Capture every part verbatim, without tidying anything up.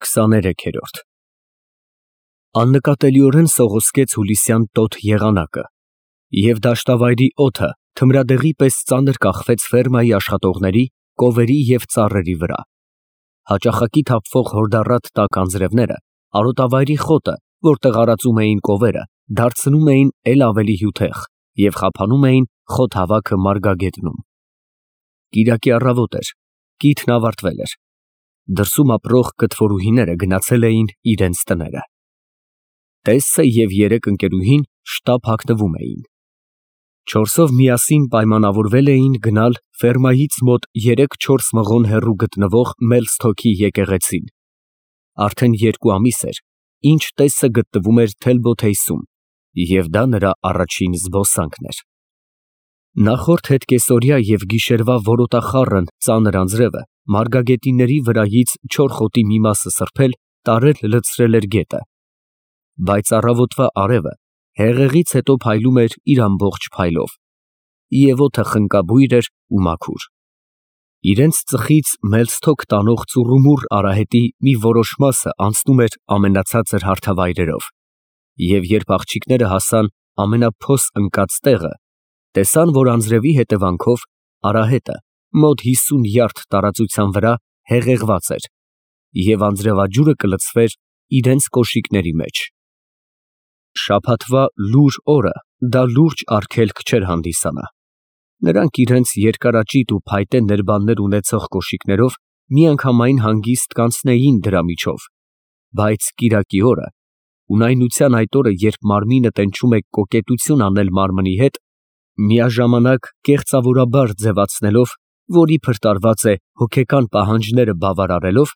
քսաներեքերորդ Աննկատելիորեն սողոսկեց հուլիսյան տոտ եղանակը, և դաշտավայրի օդը թմրադեղի պես ծանր կախվեց ֆերմայի աշխատողների, կովերի և ծառերի վրա. հաճախակի թափվող հորդառատ տաք անձրևները արոտավայրի խոտը, որտեղ արածում էին կովերը, դարձնում էին էլ ավելի հյութեղ և խափանում էին խոտ հավաքը մարգագետնում։ Կիրակի առավոտ էր, կիթն ավարտվել էր, դրսում ապրող կտվորուհիները գնացել էին իրենց տները։ Տեսը և երեք ընկերուհին շտապ հագնվում էին։ Չորսով միասին պայմանավորվել էին գնալ ֆերմայից մոտ երեք֊չորս մղոն հեռու գտնվող Մելսթոքի եկեղեցին։ Արդեն երկու ամիս էր, ինչ տեսը գտնվում էր Թելբոթեյսում, և դա նրա առաջին զբոսանքն էր։ Նախորդ հետկեսօրյա և գիշերվա որոտախառն ծանր անձրևը մարգագետինների վրայից չոր խոտի մի մասը սրբել, տարել լցրել էր գետը, բայց առավոտվա արևը հեղեղից հետո փայլում էր իր ամբողջ փայլով, և օդը խնկաբույր էր ու մաքուր։ Իրենց ծխից Մելսթոք տանող ծուռումուռ արահետի մի որոշ մասը անցնում էր ամենացածր հարթավայրերով, և երբ աղջիկները հասան ամենափոս ընկած տեղը, տեսան, որ անձրևի հետևանքով արահետը մոտ հիսուն յարդ տարածության վրա հեղեղված էր, և անձրևաջուրը կլցվեր իրենց կոշիկների մեջ։ Շաբաթվա լուր օրը դա լուրջ արգելք չէր հանդիսանա։ Նրանք իրենց երկարաճիտ ու փայտե ներբաններ ունեցող կոշիկներով միանգամայն հանգիստ կանցնեին դրա միջով, բայց կիրակի օրը, ունայնության այդ օրը, երբ մարմինը տենչում է կոկետություն անել մարմնի հետ, միաժամանակ կեղծավորաբար ձևացնելով, որ իբր տարված է հոգեկան պահանջները բավարարելով,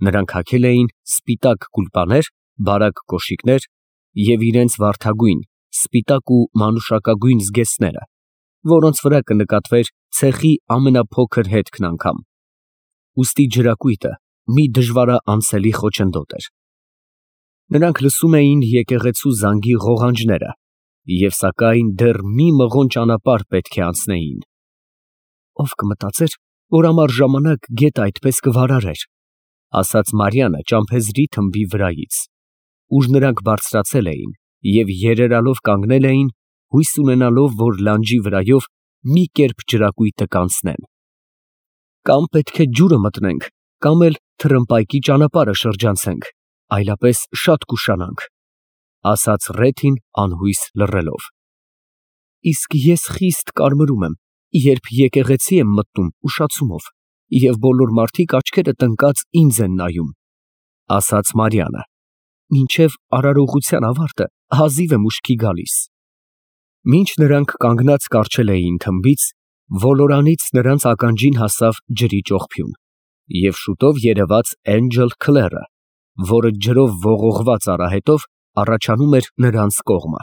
նրանք հագել էին սպիտակ գուլպաներ, բարակ կոշիկներ և իրենց վարդագույն, սպիտակ ու մանուշակագույն զգեստները, որոնց վրա կնկատվեր ցեխի ամենափոքր հետքն անգամ։ Ուստի ջրակույտը մի դժվարաանցելի խոչընդոտ էր։ Նրանք լսում էին եկեղեցու զանգի ղողանջները և սակայն դեռ մի մղոն ճանապարհ պետք է անցնեին։ «Ով կմտածեր, որ ամառ ժամանակ գետը այդպես կվարարեր», ասաց Մարիամը ճամփեզրի թմբի վրայից, ուր նրանք բարձրացել էին և երերալով կանգնել էին, հույս ունենալով, որ լանջի վրայով մի կերպ ջրակույտը կանցնեն։ «Կամ պետք է ջուրը մտնենք, կամ էլ թռնպայկի ճանապարհը շրջանցենք, այլապես շատ կուշանանք», ասաց Ռեթին անհույս լռելով։ «Իսկ ես խիստ կարմրում եմ, երբ եկեղեցի եմ մտնում ուշացումով, և բոլոր մարդիկ աչքերը տնկած ինձ են նայում», ասաց Մարիամը, «մինչև արարողության ավարտը հազիվ եմ ուշքի գալիս»։ Մինչ նրանք կանգնած կառչել էին թմբից, ոլորանից նրանց ականջին հասավ ջրի ճողփյուն, և շուտով երևաց Էնջլ Քլերը, որը ջրով ողողված արահետով առաջանում էր նրանց կողմը։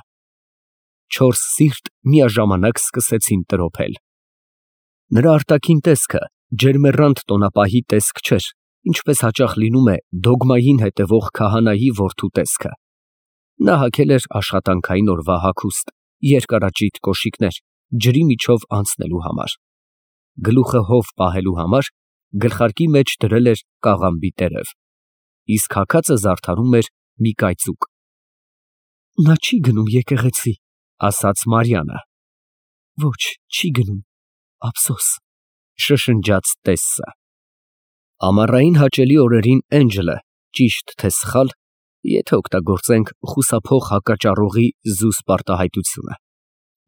Չորս սիրտ միաժամանակ սկսեցին տրոփել։ Նրա արտաքին տեսքը ջերմեռանդ տոնապահի տեսք չէր, ինչպես հաճախ լինում է դոգմային հետևող քահանայի որդու տեսքը։ Նա հագել էր աշխատանքային օրվա հագուստ, երկարաճիտ կոշիկներ ջրի միջով անցնելու համար։ Գլուխը հով պահելու համար գլխարկի մեջ դրել էր կաղամբի տերև, իսկ հագածը զարդարում էր մի կայծուկ։ «Նա չի գնում եկեղեցի», ասաց Մարիամը։ «Ոչ, չի գնում, ափսոս», շշնջաց տեսը։ Ամառային հաճելի օրերին Էնջլը, ճիշտ թե սխալ, եթե օգտագործենք խուսափող հակաճառողի զուսպ արտահայտությունը,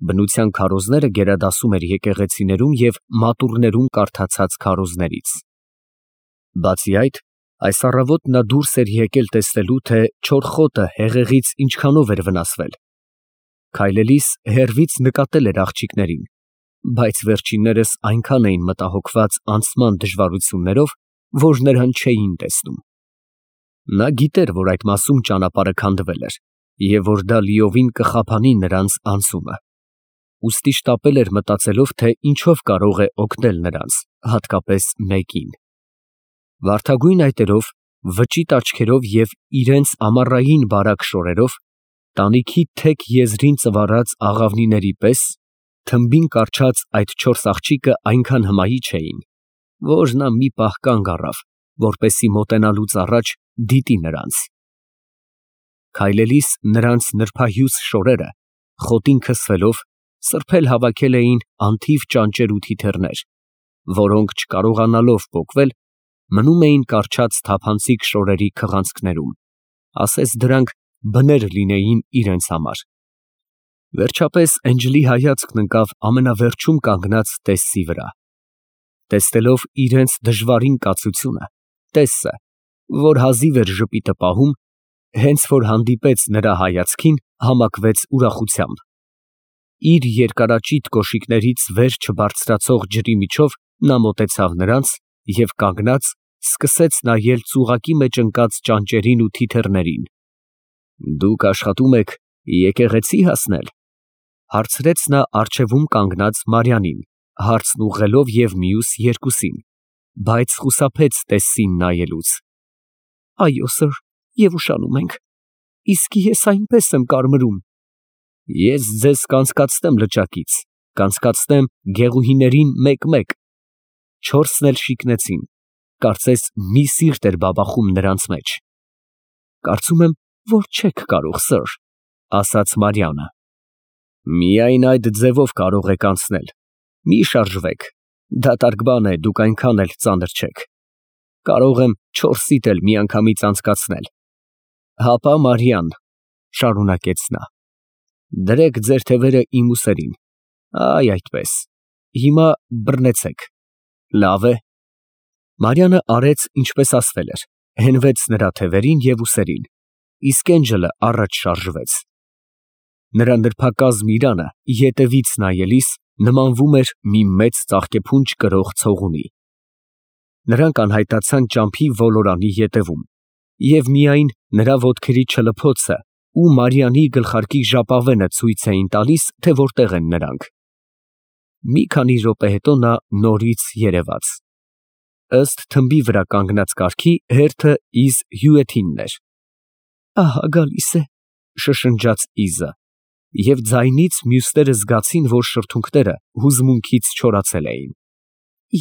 բնության քարոզները գերադասում էր եկեղեցիներում և մատուռներում կարդացած քարոզներից։ Բացի այդ, այս առավոտ նա դուրս էր եկել տեսնելու, թե չոր խոտը հեղեղից ինչքանով էր վնասվել։ Քայլելիս հեռվից նկատել էր աղջիկներին, բայց վերջիններս այնքան էին մտահոգված անցման դժվարություններով, որ նրան չէին տեսնում։ Նա գիտեր, որ այդ մասում ճանապարհը քանդվել էր, և որ դա լիովին կխափանի նրանց անցումը, ուստի շտապել էր մտածելով, թե ինչով կարող է օգնել նրանց, հատկապես մեկին։ Վարդագույն այտերով, վճիտ աչքերով և իրենց ամառային բարակ շորերով, տանիքի թեք եզրին ծվառած աղավնիների պես, թմբին կառչած այդ չորս աղջիկը այնքան հմայիչ էին, որ նա մի պահ կանգ առավ, որպեսզի մոտենալուց առաջ դիտի նրանց։ Քայլելիս նրանց նրբահյուս շորերը, խոտին քսվելով, սրբել հավաքել էին անթիվ ճանճեր ու թիթեռներ, որոնք չկարողանալով պոկվել, մնում էին կառչած թափանցիկ շորերի քղանցքներում, ասես դրանք բներ լինեին իրենց համար։ Վերջապես Էնջլի հայացքն ընկավ ամենավերջում կանգնած Տեսսի վրա։ Տեսնելով իրենց դժվարին կացությունը, Տեսսը, որ հազիվ էր ժպիտը պահում, հենց որ հանդիպեց նրա հայացքին, համակվեց ուրախությամբ։ Իր երկարաճիտ կոշիկներից վեր չբարձրացող ջրի միջով նա մոտեցավ նրանց և կանգնած սկսեց նայել ծուղակի մեջ ընկած ճանճերին ու թիթեռներին։ «Դուք աշխատում եք եկեղեցի հասնել», ֊ հարցրեց նա առջևում կանգնած Մարիամին, հարցն ուղղելով և մյուս երկուսին, բայց խուսափեց Տեսսին նայելուց։ «Այո, սըր, և ուշանում ենք, իսկ ես այնպես եմ կարմրում»։ «Ես ձեզ կանցկացնեմ լճակից, կանցկացնեմ գեղուհիներին մեկ֊մեկ»։ Չորսն էլ շիկնեցին, կարծես մի սիրտ էր բաբախում նրանց մեջ։ «Կարծում եմ, որ չեք կարող, սըր», ֊ ասաց Մարիամը։ «Միայն այդ ձևով կարող եք անցնել, մի շարժվեք, դատարկ բան է, դուք այնքան էլ ծանր չեք։ Կարող եմ չորսիդ էլ միանգամից անցկացնել»։ «Հապա, Մարիամ, ֊ շարունակեց նա, ֊ դրեք ձեր թևերը իմ ուսերին, այ այդպես, հիմա բռնեցեք, լավ է»։ Մարիամը արեց, ինչպես ասվել էր, հենվեց նրա թևերին և ուսերին, իսկ Էնջլը առաջ շարժվեց։ Նրա նրբակազմ իրանը ետևից նայելիս նմանվում էր մի մեծ ծաղկեփունջ կրող ցողունի։ Նրանք անհայտացան ճամփի ոլորանի ետևում, և միայն նրա ոտքերի չլփոցը ու Մարիամի գլխարկի ժապավենը ցույց էին տալիս, թե որտեղ են նրանք։ Մի քանի րոպե հետո նա նորից երևաց։ Ըստ թմբի վրա կանգնած կառքի հերթը Իզ Հյուեթինն էր։ «Ահա գալիս է», ֊ շշնջաց Իզը, և ձայնից մյուսները զգացին, որ շրթունքները հուզմունքից չորացել էին։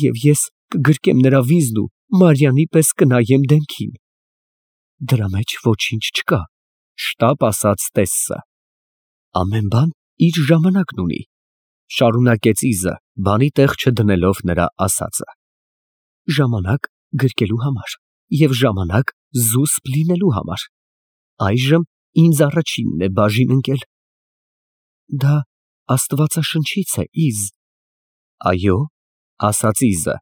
«Եվ ես կգրկեմ նրա վիզն ու Մարիամի պես կնայեմ դեմքին»։ «Դրա մեջ ոչինչ չկա», ֊ շտապ ասաց Տեսսը։ «Ամեն բան իր ժամանակն ունի», ֊ շարունակեց Իզը, բանի տեղ չդնելով նրա ասածը։ «Ժամանակ գրկելու համար և ժամանակ զուսպ լինելու համար։ Այժմ ինձ առաջինն է բաժին ընկել»։ «Դա Աստվածաշնչից է, Իզ»։ «Այո», ֊ ասաց Իզը։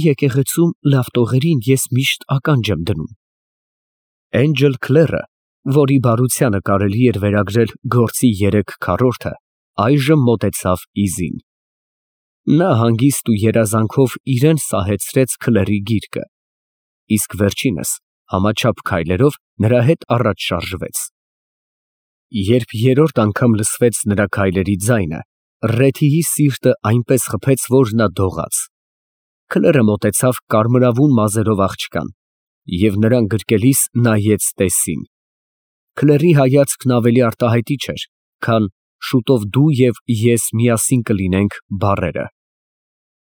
«Եկեղեցում լավ տողերին ես միշտ ականջ եմ դնում»։ Էնջլ Քլերը, որի բարությանը կարելի էր վերագրել գործի երեք քառորդը, այժմ մոտեցավ Իզին։ Նա հանգիստ ու երազանքով իրան սահեցրեց Քլերի գիրկը, իսկ վերջինս համաչափ քայլերով նրա հետ առաջ շարժվեց։ Երբ երրորդ անգամ լսվեց նրա քայլերի ձայնը, Ռեթիի սիրտը այնպես խփեց, որ նա դողաց։ Քլերը մոտեցավ կարմրավուն մազերով աղջկան և նրան գրկելիս նայեց Տեսսին։ Քլերի հայացքն ավելի արտահայտիչ էր, քան «շուտով դու և ես միասին կլինենք» բառերը։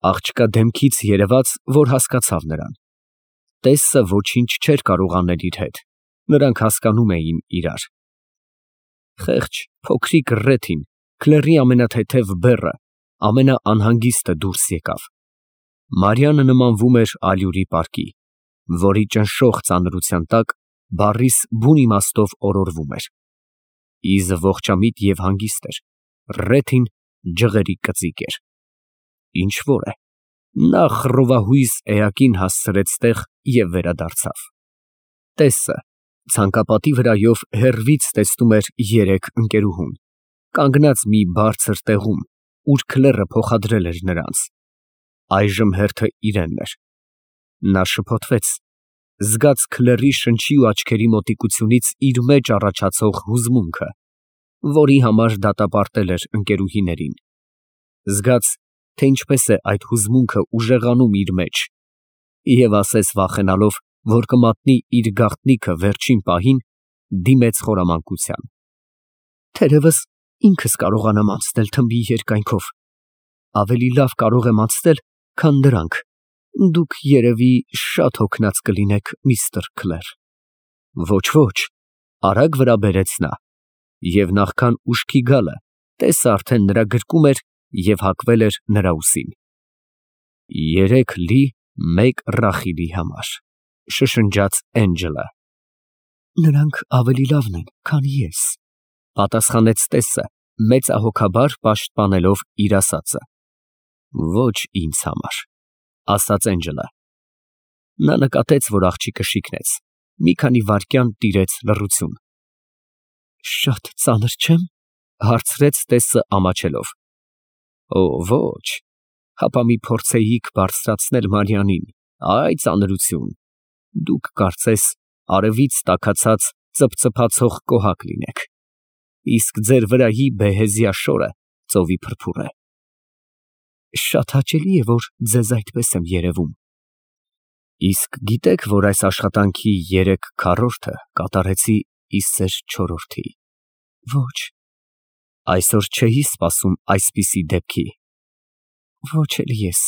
Աղջկա դեմքից երևաց, որ հասկացավ նրան։ Տեսսը ոչինչ չէր կարող անել իր հետ, նրանք հասկանում էին իրար։ Խեղճ փոքրիկ Ռեթին, Քլերի ամենաթեթև բեռը, ամենաանհանգիստը դուրս եկավ։ Մարիամը նմանվում էր ալյուրի պարկի, որի ճնշող ծանրության տակ բառիս բուն իմաստով օրորվում էր։ Իզը ողջամիտ և հանգիստ էր, Ռեթին ջղերի կծիկ էր։ Ինչ֊որ է, նա խռովահույս էակին հասցրեց տեղ և վերադարձավ։ Տեսսը ցանկապատի վրայով հեռվից տեսնում էր երեք ընկերուհուն, կանգնած մի բարձր տեղում, ուր Քլերը փոխադրել էր նրանց։ Այժմ հերթը իրենն էր։ Նա շփոթվեց, զգաց Քլերի շնչի ու աչքերի մոտիկությունից իր մեջ առաջացող հուզմունքը, որի համար դատապարտել էր ընկերուհիներին։ Զգաց, թե ինչպես է այդ հուզմունքը ուժեղանում իր մեջ, և ասես վախենալով, որ կմատնի իր գաղտնիքը վերջին պահին, դիմեց խորամանկության։ «Թերևս ինքս կարողանամ անցնել թմբի երկայնքով։ Ավելի լավ կարող եմ անցնել, քան դրանք, Դուք երևի շատ հոգնած կլինեք, միստր Քլեր։ Ոչ, ոչ, արագ վրա բերեց նա, և նախքան ուշքի գալը, տեսը արդեն նրա գրկում էր և հագվել էր նրա ուսին։ Երեք լի, մեկ Ռախիլի համար, շշնջաց Էնջելը։ Նրանք ավելի լավն են, քան ես, պատասխանեց տեսը, մեծահոգաբար պաշտպանելով իր ասածը։ Ոչ ինձ համար, ասաց Էնջելը։ Նա նկատեց, որ աղջիկը շիկնեց, մի քանի վայրկյան տիրեց լռություն։ Շատ ծանր չեմ, հարցրեց տեսը ամաչելով։ Օ, ոչ, հապա մի փորձեիք բարձրացնել Մարիանին, այ ծանրություն, դուք կարծես արևից տաքացած ծփծփացող կոհակ լինեք, իսկ ձեր վրայի բեհեզյա շորը ծովի փրփուր է։ Շատ հաճելի է, որ ձեզ այդպես եմ երևում։ Իսկ գիտեք, որ այս աշխատանքի երեք քառորդը կատարեցի իս ձեր չորրորդի։ Ոչ։ Այսօր չէի սպասում այսպիսի դեպքի։ Ոչ էլ ես։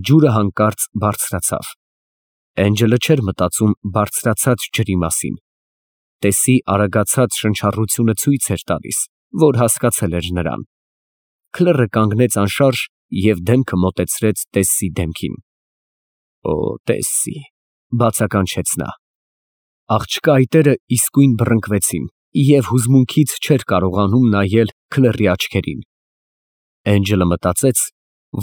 Ջուրը հանկարծ բարձրացավ։ Էնջելը չէր մտածում բարձրացած ջրի մասին։ Տեսի արագացած շնչառությունը ցույց էր տալիս, որ հասկացել էր նրան։ Քլերը կանգնեց անշարժ և դեմքը մոտեցրեց տեսի դեմքին։ Օ, տեսի, բացականչեց նա։ Աղջկա այտերը իսկույն բռնկվեցին, և հուզմունքից չէր կարողանում նայել Քլերի աչքերին։ Էնջելը մտածեց,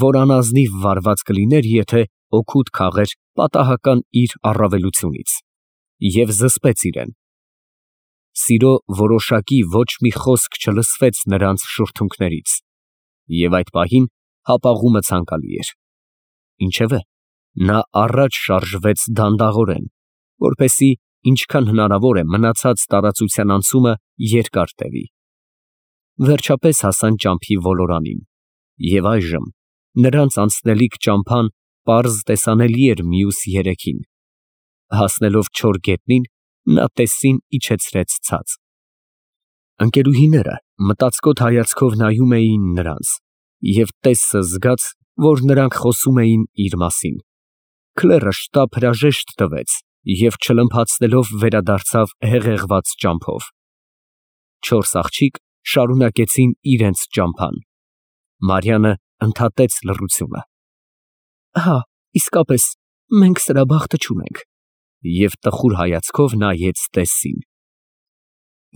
որ անազնիվ վարված կլիներ, եթե օգուտ քաղեր պատահական իր առավելությունից, և զսպեց իրեն։ Սիրո որոշակի ոչ մի խոսք չլսվեց նրանց շուրթունքներից, և այդ պահին հապաղումը ցանկալի էր։ Ինչևէ, նա առաջ շարժվեց դանդաղորեն, որպեսզի ինչքան հնարավոր է մնացած տարածության անցումը երկար տևի։ Վերջապես հասան ճամփի ոլորանին, և այժմ նրանց անցնելիք ճամփան պարզ տեսանելի էր մյուս երեքին։ Հասնելով չոր գետնին, նա տեսին իջեցրեց ցած։ Ընկերուհիները մտածկոտ հայացքով նայում էին նրանց, և տեսը զգաց, որ նրանք խոսում էին իր մասին։ Քլերը շտապ հրաժեշտ տվեց և չլմփացնելով վերադարձավ հեղեղված ճամփով։ Չորս աղջիկ շարունակեցին իրենց ճամփան։ Մարիանը ընդհատեց լռությունը։ Հա, իսկապես, մենք սրա բախտը չունենք, և տխուր հայացքով նայեց տեսին։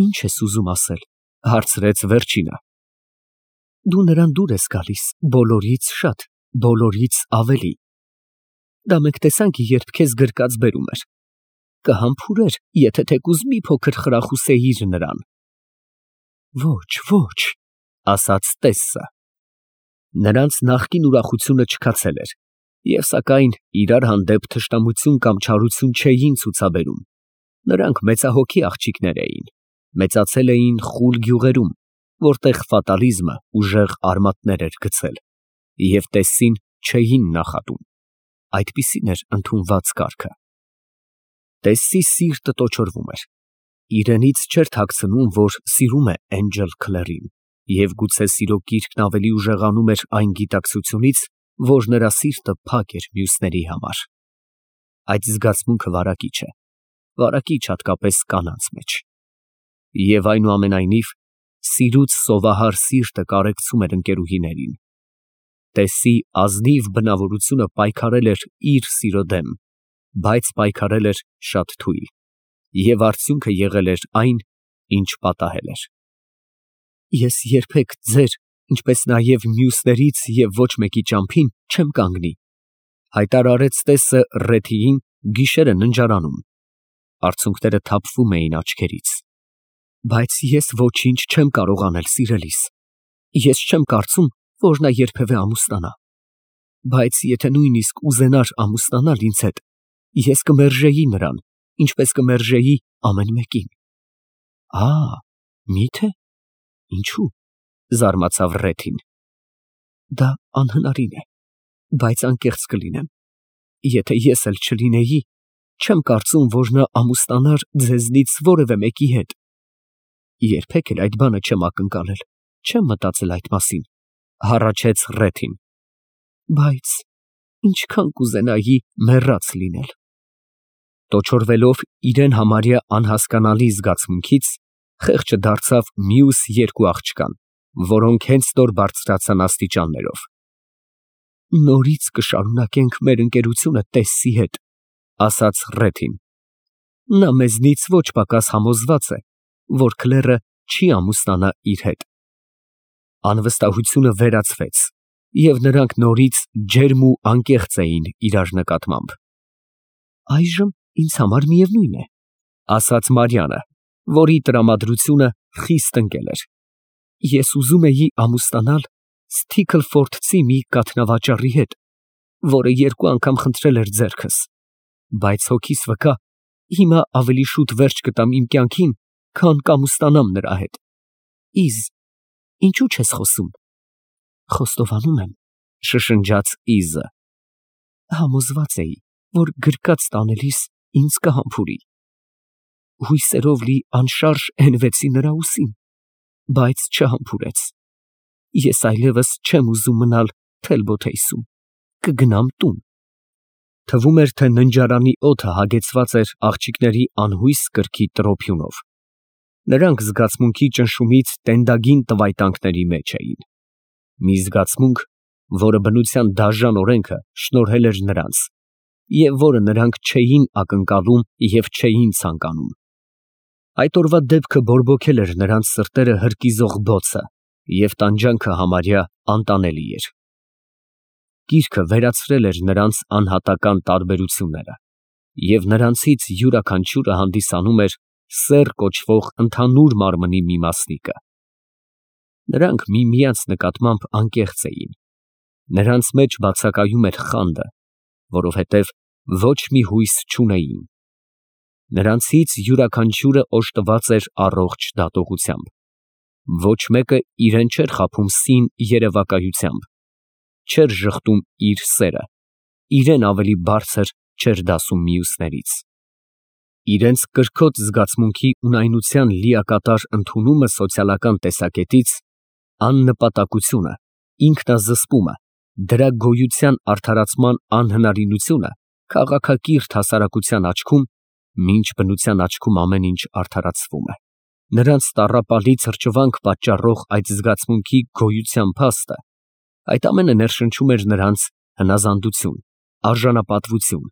Ինչ ես ուզում ասել, հարցրեց վերջինը։ Դու նրան դուր ես գալիս, բոլորից շատ, բոլորից ավելի։ Դա մենք տեսանք, երբ քեզ գրկած բերում էր։ Կհամբուրեր, եթե թեկուզ մի փոքր խրախուսեիր նրան։ Ոչ, ոչ, ասաց տեսը։ Նրանց նախկին ուրախությունը չքացել էր, և սակայն իրար հանդեպ թշնամություն կամ չարություն չէին ցուցաբերում։ Նրանք մեծահոգի աղջիկներ էին, մեծացել էին խուլ գյուղերում, որտեղ ֆատալիզմը ուժեղ արմատներ էր գցել, և տեսին չէին նախատում։ Այդպիսին էր ընդունված կարգը։ Տեսի սիրտը տոչորվում էր։ Իրենից չէր թաքցնում, որ սիրում է Էնջել Քլերին, և գուցե սիրո կիրքն ավելի ուժեղանում էր այն գիտակցությունից, որ նրա սիրտը փակ էր մյուսների համար։ Այդ զգացմունքը վարակիչ է, վարակիչ հատկապես կանանց մեջ։ Եվ այնուամենայնիվ, սիրուց սովահար սիրտը կարեկցում էր ընկերուհիներին։ Տեսի ազնիվ բնավորությունը պայքարել էր իր սիրո դեմ, բայց պայքարել էր շատ թույլ, և արդյունքը եղել էր այն, ինչ պատահել էր։ Ես երբեք ձեր, ինչպես նաև մյուսներից և ոչ մեկի ճամփին չեմ կանգնի, հայտարարեց տեսը Ռեթիին գիշերը ննջարանում։ Արցունքները թափվում էին աչքերից։ Բայց ես ոչինչ չեմ կարող անել, սիրելիս։ Ես չեմ կարծում, որ նա երբևէ ամուսնանա։ Բայց եթե նույնիսկ ուզենար ամուսնանալ ինձ հետ, ես կմերժեի նրան, ինչպես կմերժեի ամեն մեկին։ Ա, մի՞թե։ Ինչու՞, զարմացավ Ռեթին։ Դա անհնարին է, բայց անկեղծ կլինեմ։ Եթե ես էլ չլինեի, չեմ կարծում, որ նա ամուսնանար ձեզնից որևէ մեկի հետ։ Երբեք էլ այդ բանը չեմ ակնկալել, չեմ մտածել այդ մասին, հառաչեց Ռեթին։ Բայց ինչքան կուզենայի մեռած լինել։ Տոչորվելով իրեն համարյա անհասկանալի զգացմունքից, խեղճը դարձավ մյուս երկու աղջկան, որոնք հենց նոր բարձրացան աստիճաններով։ Նորից կշարունակենք մեր ընկերությունը Տեսսի հետ, ասաց Ռեթին։ Նա մեզնից ոչ պակաս համոզված է, որ Քլերը չի ամուսնանա իր հետ։ Անվստահությունը վերացվեց, և նրանք նորից ջերմ ու անկեղծ էին իրար նկատմամբ։ Այժմ ինձ համար միևնույն է, ասաց Մարիամը, որի տրամադրությունը խիստ ընկել էր։ Ես ուզում էի ամուսնանալ Սթիքլֆորդցի մի կաթնավաճառի հետ, որը երկու անգամ խնդրել էր ձեռքս, բայց հոգիս վկա, հիմա ավելի շուտ վերջ կտամ իմ կյանքին, քան կամուսնանամ նրա հետ։ Իզ, ինչու չես խոսում։ Խոստովանում եմ, շշնջաց Իզը։ Համոզված էի, որ գրկած տանելիս ինձ կհամբուրի։ Հույսերով լի անշարժ հենվեցի նրա ուսին, բայց չհամբուրեց։ Ես այլևս չեմ ուզում մնալ Թելբոթեյսում, կգնամ տուն։ Թվում էր, թե ննջարանի օդը հագեցված էր աղջիկների անհույս կրքի տրոփյունով։ Նրանք զգացմունքի ճնշումից տենդագին տվայտանքների մեջ էին։ Մի զգացմունք, որը բնության դաժան օրենքը շնորհել էր նրանց, և որը նրանք չէին ակնկալում և չէին ցանկանում։ Այդ օրվա դեպքը բորբոքել էր նրանց սրտերը հրկիզող բոցը, և տանջանքը համարյա անտանելի էր։ Գիրքը վերացրել էր նրանց անհատական տարբերությունները, և նրանցից յուրաքանչյուրը հանդիսանում էր սեռ կոչվող ընդհանուր մարմնի մի մասնիկը։ Նրանք միմյանց նկատմամբ անկեղծ էին։ Նրանց մեջ բացակայում էր խանդը, որովհետև ոչ մի հույս չունեին։ Նրանցից յուրաքանչյուրը օժտված էր առողջ դատողությամբ։ Ոչ մեկը իրեն չէր խաբում սին երևակայությամբ, չէր ժխտում իր սերը, իրեն ավելի բարձր չէր դասում մյուսներից։ Իրենց կրքոտ զգացմունքի ունայնության լիակատար ընդունումը սոցիալական տեսակետից, աննպատակությունը, ինքնազսպումը, դրա գոյության արդարացման անհնարինությունը քաղաքակիրթ հասարակության աչքում, մինչ բնության աչքում ամեն ինչ արդարացվում է։ Նրանց տառապալի թրջվանք պատճառող այդ զգացմունքի գոյության փաստը, այդ ամենը ներշնչում էր նրանց հնազանդություն, արժանապատվություն,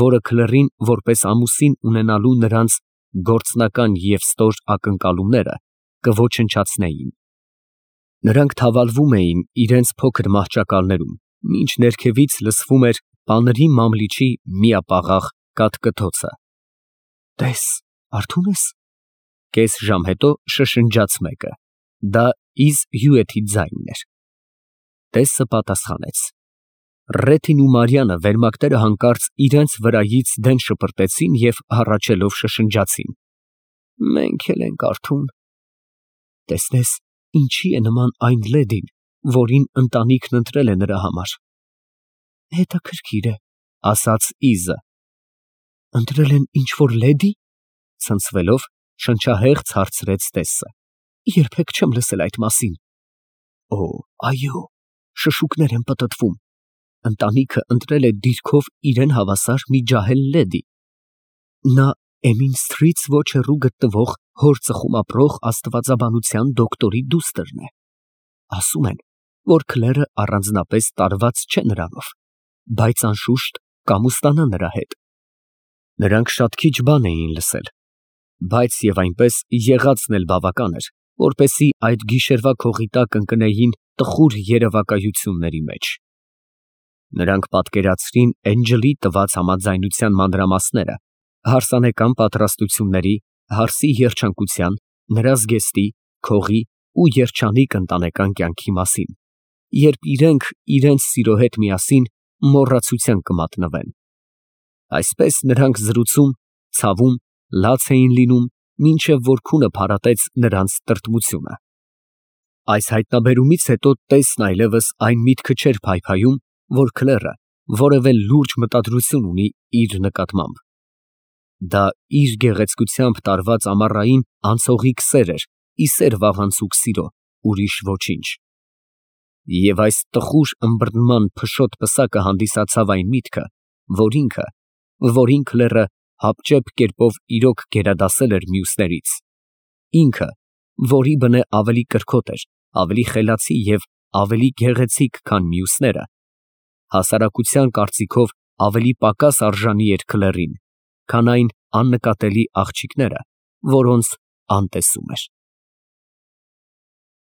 որը Քլերին որպես ամուսին ունենալու նրանց գործնական և ստոր ակնկալումները կոչնչացնեին։ Նրանք թավալվում էին իրենց փոքր մահճակալներում, մինչ ներքևից լսվում էր պանրի մամլիչի միապաղաղ կաթկթոցը։ Տես, արթո՞ւն ես։ Կես ժամ հետո շշնջաց մեկը։ Դա Իզ Հյուեթի ձայնն էր։ Տեսը պատասխանեց։ Ռեթին ու Մարիամը վերմակները հանկարծ իրենց վրայից դեն շպրտեցին և հառաչելով շշնջացին. Մենք էլ ենք արթուն։ Տեսնես, ինչի է նման այն լեդին, որին ընտանիքն ընտրել է նրա համար։ Հետաքրքիր է, ասաց Իզը։ Ընտրել են ինչ-որ լեդի։ Ցնցվելով շնչահեղձ հարցրեց Տեսը։ Երբեք չեմ լսել այդ մասին։ Օ, այո, շշուկներ են պտտվում։ Ընտանիքը ընտրել է դիրքով իրեն հավասար մի ջահել լեդի։ Նա Էմինսթրից ոչ հեռու գտնվող հոր ծխում ապրող աստվածաբանության դոկտորի դուստրն է։ Ասում են, որ Քլերը առանձնապես տարված չէ նրանով, բայց անշուշտ կամուսնանա նրա հետ։ Նրանք շատ քիչ բան էին լսել, բայց և այնպես եղածն էլ բավական էր, որպեսզի այդ գիշերվա քողի տակ ընկնեին տխուր երևակայությունների մեջ։ Նրանք պատկերացրին Էնջլի տված համաձայնության մանրամասները, հարսանեկան պատրաստությունների, հարսի երջանկության, նրա զգեստի, քողի ու երջանիկ ընտանեկան կյանքի մասին, երբ իրենք իրենց սիրո հետ միասին մոռացության կմատնվեն։ Այսպես նրանք զրուցում, ցավում, լաց էին լինում, մինչև որ քունը փարատեց նրանց տրտմությունը։ Այս հայտնաբերումից հետո Տեսն այլևս այն միտքը չէր փայփայում, որ Քլերը որևէ լուրջ մտադրություն ունի իր նկատմամբ։ Դա իր գեղեցկությամբ տարված ամառային անցողիկ սեր էր, ի սեր վաղանցուկ սիրո, ուրիշ ոչինչ։ Եվ այս տխուր ըմբռնման փշոտ պսակը հանդիսացավ այն միտքը, որ ինքը, որին քլերը հապճեպ կերպով իրոք գերադասել էր մյուսներից, ինքը, որի բնե ավելի կրքոտ էր, ավելի խելացի և ավելի գեղեցիկ, քան մյուսները, հասարակության կարծիքով ավելի պակաս արժանի էր քլերին, քան այն աննկատելի աղջիկները, որոնց անտեսում էր։